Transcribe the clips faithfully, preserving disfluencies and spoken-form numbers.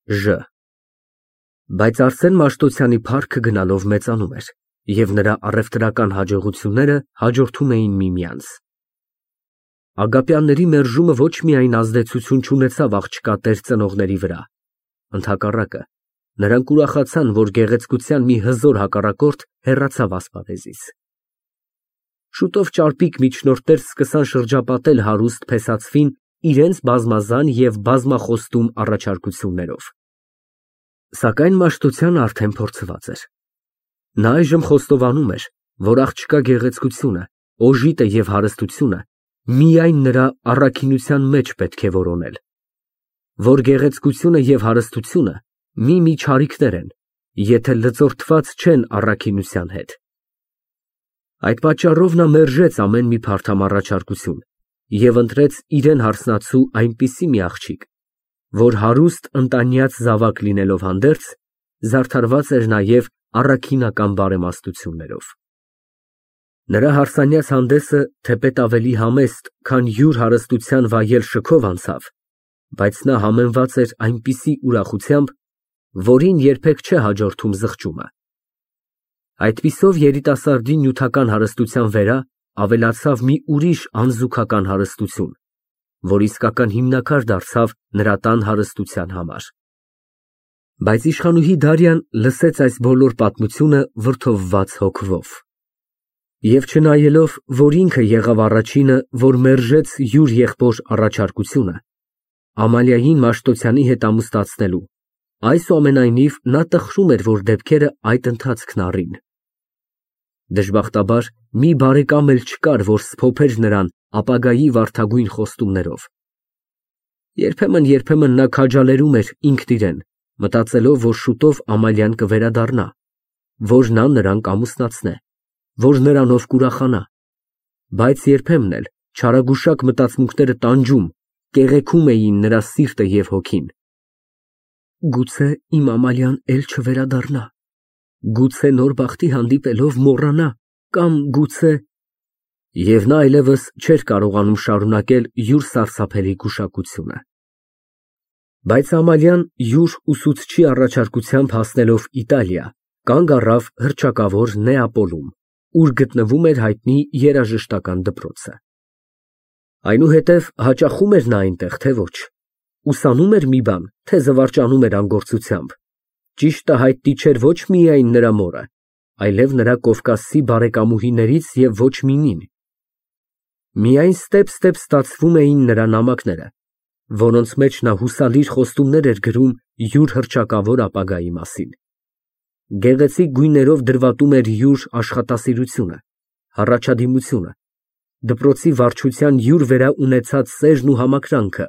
Ժ Բայց Արսեն Մաշտոցյանի փառքը գնալով մեծանում էր, և նրա առևտրական հաջողությունները հաջորդում էին միմյանց։ Ագապյանների մերժումը ոչ միայն ազդեցություն չունեցավ աղջկա տեր ծնողների վրա, ընդհակառակը, նրանք ուրախացան, որ գեղեցկության մի հզոր հակառակորդ հեռացավ ասպարեզից։ Շուտով ճարպիկ միջնորդներ սկսան շրջապատել հարուստ փեսացվին իրենց բազմազան և բազմախոստում առաջարկություններով։ Սակայն Մաշտոցյանը արդեն փորձված էր։ Նա այժմ խոստովանում էր, որ աղջկա գեղեցկությունը, օժիտը և հարստությունը միայն նրա առաքինության մեջ պետք է որոնել, որ գեղեցկությունը և հարստությունը մի-մի չարիքներ են, եթե լծորդված չեն առաքինության հետ։ Այդ պատճառով նա մերժեց ամեն մի փարթամ առաջարկություն և ընտրեց իրան հարսնացու այնպիսի մի աղջիկ, որ հարուստ ընտանյաց զավակ լինելով հանդերձ, զարդարված էր նաև առաքինական բարեմաստություններով։ Նրա հարսանյաց հանդեսը թեպետ ավելի համեստ, քան յուր հարստության վայել շքով անցավ, բայց նա համեմված էր այնպիսի ուրախությամբ, որին երբեք չէ հաջորդում զղջումը։ Այդպիսով երիտասարդի նյութական հարստության վերա ավելացավ մի ուրիշ անզուգական հարստություն, որ իսկական հիմնաքար դարձավ նրա տան հարստության համար։ Բայց իշխանուհի Դարյան լսեց այս բոլոր պատմությունը վրդովված հոգվով։ Եվ չնայելով, որ ինքը եղավ առաջինը, որ մերժեց յուր եղբոր առաջարկությունը, Ամալիային Մաշտոցյանի հետ ամուսնացնելու, այսուամենայնիվ նա տխրում էր, որ դեպքերը այդ ընթացքն առին։ Դժբախտաբար, մի բարեկամ էլ չկար, որ սփոփեր նրան ապագայի վարդագույն խոստումներով։ Երբեմն֊երբեմն նա քաջալերում էր ինքն իրեն, մտածելով, որ շուտով Ամալիան կվերադառնա, որ նա նրան կամուսնացնե, որ նրանով կուրախանա, բայց երբեմն էլ չարագուշակ մտածմունքները տանջում, կեղեքում էին նրա սիրտը և հոգին։ Գուցե իմ Ամալիան էլ չվերադառնա, գուցե նոր բախտի հանդիպելով մոռանա, կամ գուցե… Եվ նա այլևս չէր կարողանում շարունակել յուր սարսափելի գուշակությունը։ Բայց Ամալիան յուր ուսուցչի առաջարկությամբ հասնելով Իտալիա, կանգ առավ հռչակավոր Նեապոլում, ուր գտնվում էր հայտնի երաժշտական դպրոցը։ Այնուհետև հաճախում էր նա այնտեղ, թե ոչ, ուսանում էր մի բան, թե զվարճանում էր անգործությամբ, ճիշտը հայտնի չէր ոչ միայն նրա մորը, այլև նրա կովկասցի բարեկամուհիներից և ոչ միմին։ Միայն ստեպ-ստեպ ստացվում էին նրա նամակները, որոնց մեջ նա հուսալիր խոստումներ էր գրում յուր հռչակավոր ապագայի մասին։ Գեղեցիկ գույներով դրվատում էր յուր աշխատասիրությունը, հառաջադիմությունը, դպրոցի վարչության յուր վերա ունեցած սերն ու համակրանքը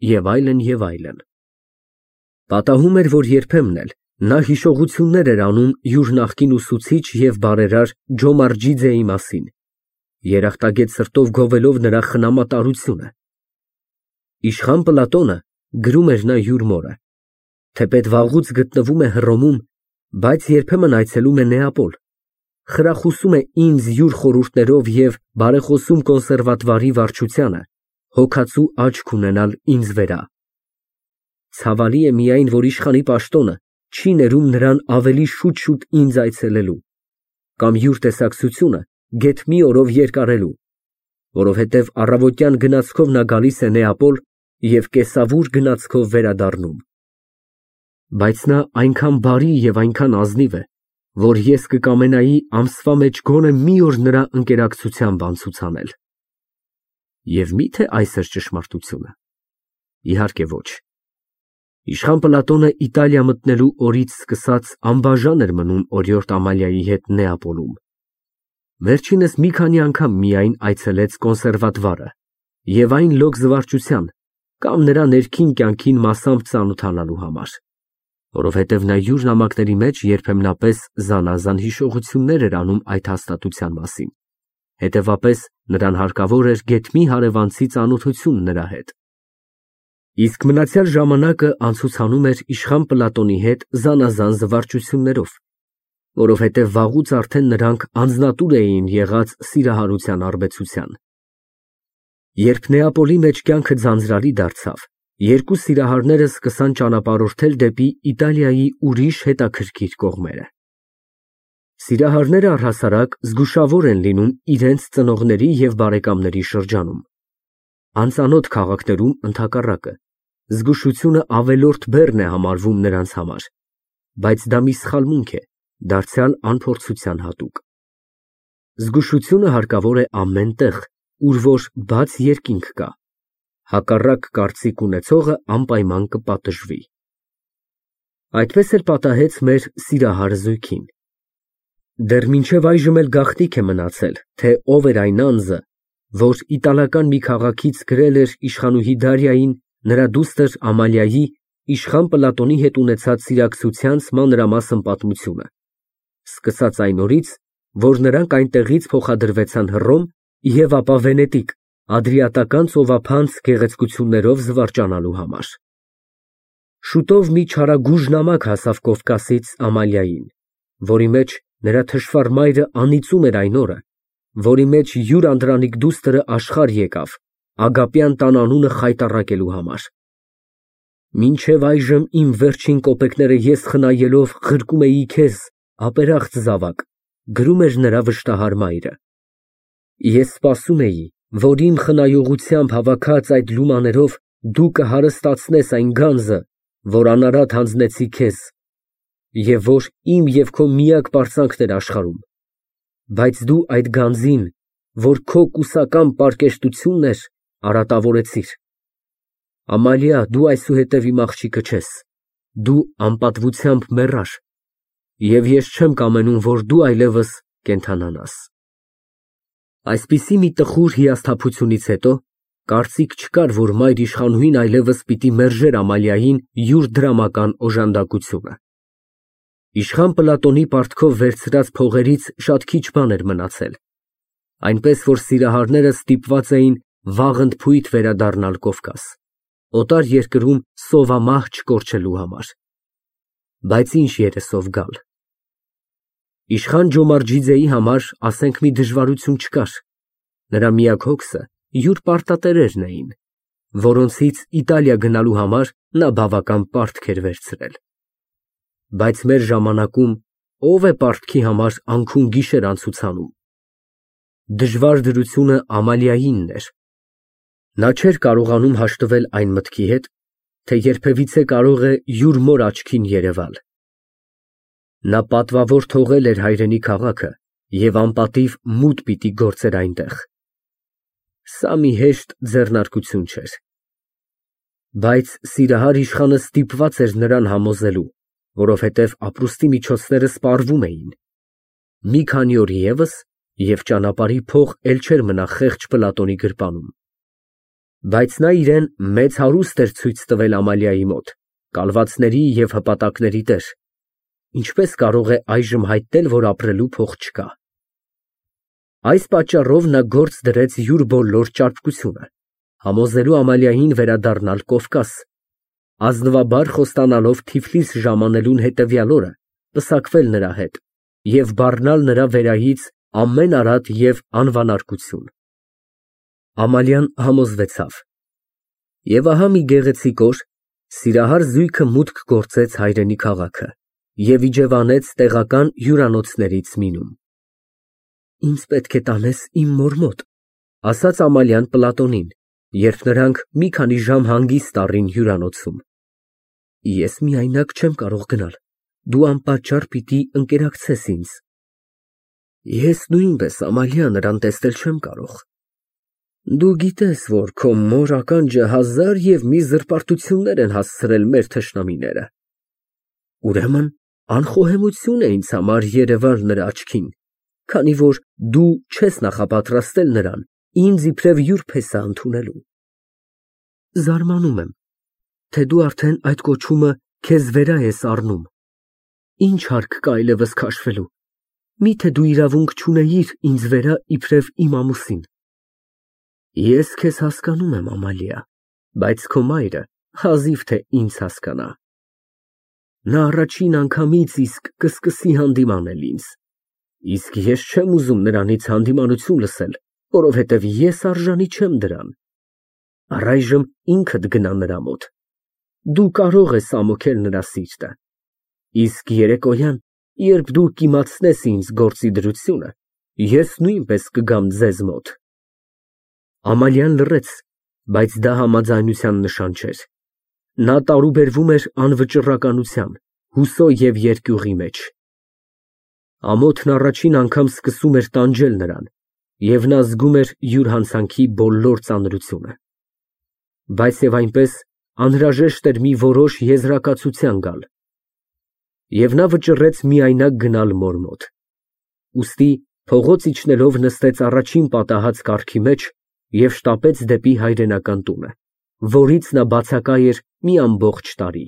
և այլն, և այլն։ Պատահում էր, որ երբեմն էլ նա հիշողություններ էր անում յուր նախկին ուսուցիչ և բարերար Ջոմարջիձեի մասին, երախտագետ սրտով գովելով նրա խնամատարությունը։ Իշխան Պլատոնը, գրում էր նա յուր մորը, թեպետ վաղուց գտնվում է Հռոմում, բայց երբեմն այցելում է Նեապոլ, խրախուսում է ինձ յուր խորհուրդներով և բարեխոսում կոնսերվատվարի վարչությանը, հոգածու աչք ունենալ ինձ վերա։ Ցավալի է միայն, որ իշխանի պաշտոնը չի ներում նրան ավելի շուտ֊շուտ ինձ այցելելու, կամ յուր տեսակցությունը գեթ մի օրով երկարելու, որովհետև առավոտյան գնացքով նա գալիս է Նեապոլ և կեսավուր գնացքով վերադառնում։ Բայց նա այնքան բարի և այնքան ազնիվ է, որ ես կկամենայի ամսվա մեջ գոնե մի օր նրա ընկերակցությամբ անցուցանել։ Եվ մի՞թե այս էր ճշմարտությունը։ Իհարկե ոչ։ Իշխան Պլատոնը Իտալիա մտնելու օրից սկսած անբաժան էր մնում օրիորդ Ամալիայի հետ Նեապոլում։ Վերջինս մի քանի անգամ միայն այցելեց կոնսերվատվարը և այն լոկ զվարճության կամ նրա ներքին կյանքին մասամբ ծանոթանալու համար, որովհետև նա յուր նամակների մեջ երբեմնապես զանազան հիշողություններ էր անում այդ հաստատության մասին, հետևապես նրան հարկավոր էր գեթ մի հարևանցի ծանոթություն նրա հետ։ Իսկ մնացյալ ժամանակը անցուցանում էր իշխան Պլատոնի հետ զանազան զվարճություններով, որովհետև վաղուց արդեն նրանք անձնատուր էին եղած սիրահարության արբեցության։ Երբ Նեապոլի մեջ կյանքը ձանձրալի դարձավ Երկու սիրահարները սկսան ճանապարհորդել դեպի Իտալիայի ուրիշ հետաքրքիր կողմերը։ Սիրահարները առհասարակ զգուշավոր են լինում իրենց ծնողների և բարեկամների շրջանում։ Անծանոթ քաղաքներում, ընդհակառակը, զգուշությունը ավելորդ բեռն է համարվում նրանց համար, բայց դա մի սխալմունք է, դարձյալ անփորձության հատուկ։ Զգուշությունը հարկավոր է ամեն տեղ, ուր որ բաց երկինք կա, հակառակ կարծիք ունեցողը անպայման կպատժվի։ Այդպես էլ պատահեց մեր սիրահար զույգին։ Դեռ մինչև այժմ էլ գաղտնիք է մնացել, թե ով էր այն անձը, որ իտալական մի քաղաքից գրել էր իշխանուհի Դարիային նրա դուստր Ամալիայի իշխան Պլատոնի հետ ունեցած սիրակցությանց մանրամասն պատմությունը, սկսած այն օրից, որ նրանք այնտեղից փոխադրվեցան Հռոմ և ապա Վենետիկ, Ադրիատական ծովափանց գեղեցկություններով զվարճանալու համար։ Շուտով մի չարագույժ նամակ հասավ Կովկասից Ամալիային, որի մեջ նրա թշվառ մայրը անիծում էր այն օրը, որի մեջ յուր անդրանիկ դուստրը աշխարհ եկավ Ագապյան տան անունը խայտառակելու համար։ Մինչև այժմ իմ վերջին կոպեկները ես խնայելով ղրկում էի քեզ, ապերախտ զավակ, գրում էր նրա վշտահար մայրը։ Ես սպասում էի, որ իմ խնայողությամբ հավաքած այդ լումաներով դու կհարստացնես այն գանձը, որ անարատ հանձնեցի քեզ, և որ իմ և քո միակ պարծանքն էր աշխարհում, բայց դու այդ գանձին, որ քո կուսակամ պարկեշտությունն էր, արատավորեցիր։ Ամալիա, դու այսուհետև իմ աղջիկը չես, դու անպատվությամբ մեռար, և ես չեմ կամենում, որ դու այլևս կենդանանաս։ Այսպիսի մի տխուր հիասթափությունից հետո կարծիք չկար, որ մայր իշխանուհին այլևս պիտի մերժեր Ամալիային յուր դրամական օժանդակությունը։ Իշխան Պլատոնի պարտքով վերցրած փողերից շատ քիչ բան էր մնացել, այնպես որ սիրահարները ստիպված էին վաղընդփույթ վերադառնալ Կովկաս, օտար երկրում սովամահ չկորչելու համար։ Բայց ինչ երեսով գալ։ Իշխան Ջոմարջիձեի համար, ասենք, մի դժվարություն չկար, նրա միակ հոգսը յուր պարտատերերն էին, որոնցից Իտալիա գնալու համար նա բավական պարտք էր վերցրել։ Բայց մեր ժամանակում ո՞վ է պարտքի համար անքուն գիշեր անցուցանում։ Դժվար դրությունը Ամալիայինն էր։ Նա չէր կարողանում հաշտվել այն մտքի հետ, թե երբևիցե կարող է յուր մոր աչքին երևալ։ Նա պատվավոր թողել էր հայրենի քաղաքը և անպատիվ մութ պիտի գործեր այնտեղ։ Սա մի հեշտ ձեռնարկություն չէր։ Բայց սիրահար իշխանը ստիպված էր նրան համոզելու, որովհետև ապրուստի միջոցները սպառվում էին։ Մի քանի օր ևս, և ճանապարհի փող էլ չէր մնա խեղճ Պլատոնի գրպանում։ Բայց նա իրեն մեծ հարուստ էր ցույց տվել Ամալիայի մոտ, կալվածների և հպատակների տեր, ինչպես կարող է այժմ հայտնել, որ ապրելու փող չկա։ Այս պատճառով նա գործ դրեց յուր բոլոր ճարպկությունը, համոզելու Ամալիային վերադառնալ Կովկաս, ազնվաբար խոստանալով Թիֆլիս ժամանելուն հետևյալ օրը պսակվել նրա հետ և բառնալ նրա վերայից ամեն արատ և անվանարկություն։ Ամալիան համոզվեցավ։ Եվ ահա մի գեղեցիկ օր սիրահար զույգը մուտք գործեց հայրենի քաղաքը և իջևանեց տեղական հյուրանոցներից մեկում։ Ինձ պետք է տանես իմ մոր մոտ, ասաց Ամալիան Պլատոնին, երբ նրանք մի քանի ժամ հանգիստ առին հյուրանոցում։ Ես միայնակ չեմ կարող գնալ, դու անպատճառ պիտի ընկերակցես ինձ։ Ես նույնպես, Ամալիա, նրան տեսնել չեմ կարող։ Դու գիտես, որ քո մոր ականջը հազար և մի զրպարտություններ են հասցրել մեր թշնամիները։ Ուրեմն անխոհեմություն է ինձ համար երևալ նրա աչքին, քանի որ դու չես նախապատրաստել նրան ինձ իբրև յուր փեսա ընդունելու։ Զարմանում եմ, թե դու արդեն այդ կոչումը քեզ վերա ես առնում։ Ինչ հարկ կա այլևս քաշվելու, միթե դու իրավունք չունեիր ինձ վերա իբրև իմ ամուսին։ Ես քեզ հասկանում եմ, Ամալիա, բայց քո մայրը հազիվ թե ինձ հասկանա։ Նա առաջին անգամից իսկ կսկսի հանդիմանել ինձ, իսկ ես չեմ ուզում նրանից հանդիմանություն լսել, որովհետև ես արժանի չեմ դրան։ Առայժմ ինքդ գնա նրա մոտ։ Դու կարող ես ամոթել նրա սիրտը, իսկ երեկոյան, երբ դու կիմացնես ինձ գործի դրությունը, ես նույնպես կգամ ձեզ մոտ։ Ամալիան լռեց, բայց դա համաձայնության նշան չէր։ Նա տարուբերվում էր անվճռականության, հուսո և երկյուղի մեջ։ Ամոթն առաջին անգամ սկսում էր տանջել նրան, և նա զգում էր յուր հանցանքի բոլոր ծանրությունը։ Բայց և այնպես անհրաժեշտ էր մի որոշ եզրակացության գալ։ Եվ նա վճռեց միայնակ գնալ մոր մոտ։ Ուստի փողոց իջնելով նստեց առաջին պատահած կառքի մեջ և շտապեց դեպի հայրենական տունը, որից նա բացակայ էր մի ամբողջ տարի։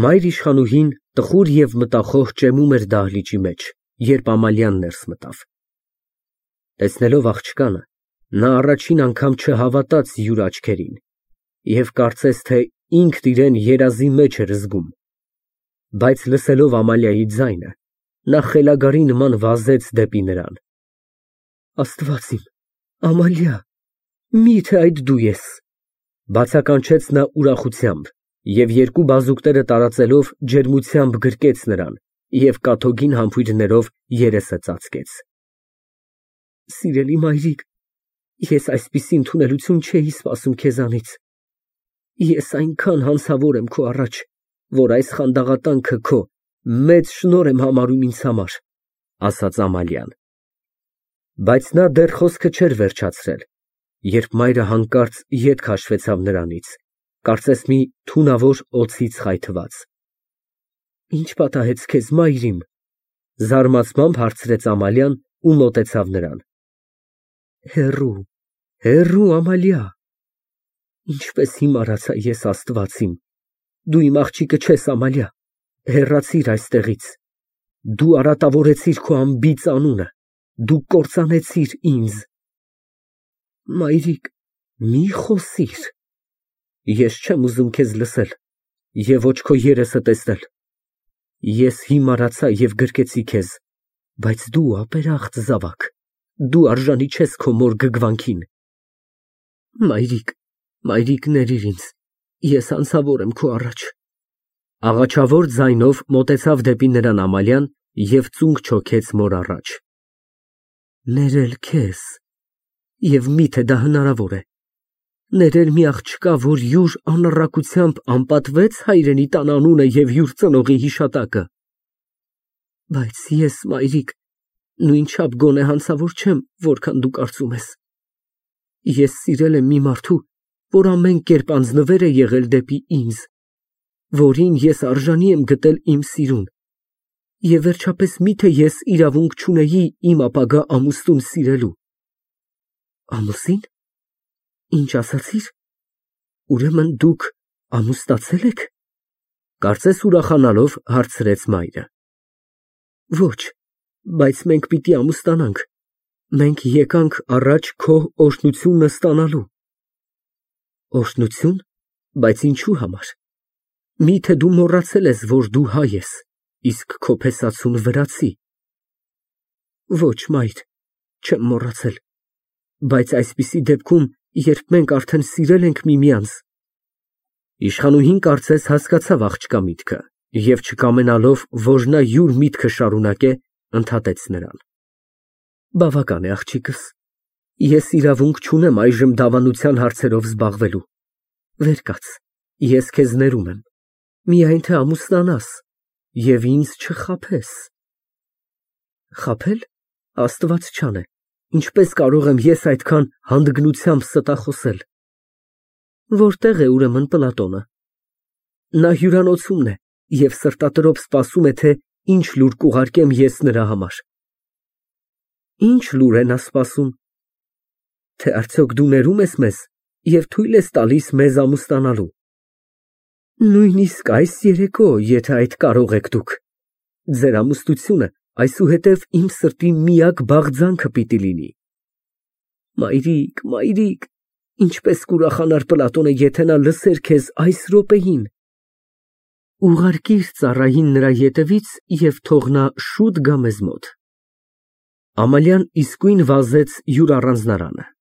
Մայր իշխանուհին տխուր և մտախոհ ճեմում էր դահլիճի մեջ, երբ Ամալիան ներս մտավ։ Տեսնելով աղջկանը, նա առաջին անգամ չհավատաց յուր աչքերին և կարծես թե ինքն իրան երազի մեջ էր զգում։ Բայց լսելով Ամալիայի ձայնը, նա խելագարի նման վազեց դեպի նրան։ Աստված իմ, Ամալիա, մի՞թե այդ դու ես, բացականչեց նա ուրախությամբ և երկու բազուկները տարածելով ջերմությամբ գրկեց նրան և կաթոգին համբույրներով երեսը ծածկեց։ Սիրելի մայրիկ, ես այսպիսի ընդունելություն չէի սպասում քեզանից։ Ես այնքան հանցավոր եմ քո առաջ, որ այս խանդաղատանքը քո մեծ շնորհ եմ համարում ինձ համար, ասաց Ամալիան։ Բայց նա դեռ խոսքը չէր վերջացրել, երբ մայրը հանկարծ ետ քաշվեցավ նրանից, կարծես մի թունավոր օձից խայթված։ Ի՞նչ պատահեց քեզ, մայրիմ, զարմացած հարցրեց Ամալիան ու մոտեցավ նրան։ Հեռու, հեռու, Ամալիա, ինչպես հիմարացա ես, Աստված իմ, դու իմ աղջիկը չես, Ամալիա, հեռացիր այստեղից, դու արատավորեցիր քո անբիծ անունը, դու կործանեցիր ինձ։ Մայրիկ, մի խոսիր, ես չեմ ուզում քեզ լսել և ոչ քո երեսը տեսնել։ Ես հիմարացա և գրկեցի քեզ, բայց դու ապերախտ զավակ, դու արժանի չես քո մոր գգվանքին։ Մայրիկ, մայրիկ, ներիր ինձ, ես հանցավոր եմ քո առաջ։ Աղաչավոր ձայնով մոտեցավ դեպի նրան Ամալիան և ծունկ չոքեց մոր առաջ։ Ներել քեզ, և մի՞թե դա հնարավոր է։ Ներել մի աղջկա, որ յուր անառակությամբ անպատվեց հայրենի տան անունը և յուր ծնողի հիշատակը։ Բայց ես, մայրիկ, նույնչափ գոնե հանցավոր չեմ, որքան դու կարծում ես։ Ես սիրել եմ մի մարդու, որ ամեն կերպ անձնվեր է եղել դեպի ինձ, որին ես արժանի եմ գտել իմ սիրուն, և վերջապես մի՞թե ես իրավունք չունեի իմ ապագա ամուսնուն սիրելու։ Ամուսի՞ն, ինչ ասացիր, ուրեմն դուք ամուսնացե՞լ եք, կարծես ուրախանալով հարցրեց մայրը։ Ոչ, բայց մենք պիտի ամուսնանանք, մենք եկանք առաջ քո օրհնությունն ստանալու։ Օրհնություն, բայց ինչու համար, մի՞թե դու մոռացել ես, որ դու հայ ես, իսկ քո փեսացուն վրացի։ Ոչ, մայր, չեմ մոռացել, բայց այսպիսի դեպքում, երբ մենք արդեն սիրել ենք միմյանց… Իշխանուհին կարծես հասկացավ աղջկա միտքը և չկամենալով, որ նա յուր միտքը շարունակե, ընդհատեց նրան։ Բավական է, աղջիկս, ես իրավունք չունեմ այժմ դավանության հարցերով զբաղվելու։ Վեր կաց, ես քեզ ներում եմ, միայն թե ամուսնանաս և ինձ չխաբես։ Խաբել, Աստված չանե, ինչպես կարող եմ ես այդքան հանդգնությամբ ստախոսել։ Որտե՞ղ է ուրեմն Պլատոնը։ Նա հյուրանոցումն է և սրտատրոփ սպասում է, թե ինչ լուր կուղարկեմ ես նրա համար։ Ինչ լուր է նա սպասում։ Թե արդյոք դու ներում ես մեզ և թույլ ես տալիս մեզ ամուսնանալու։ Նույնիսկ այս երեկո, եթե այդ կարող եք դուք։ Ձեր ամուսնությունը այսուհետև իմ սրտի միակ բաղձանքը պիտի լինի։ Մայրիկ, մայրիկ, ինչպես կուրախանար Պլատոնը, եթե նա լսեր քեզ այս րոպեին։ Ուղարկիր ծառային նրա ետևից և թող նա շուտ գա մեզ մոտ։ Ամալիան իսկույն վազեց յուր առանձնարանը։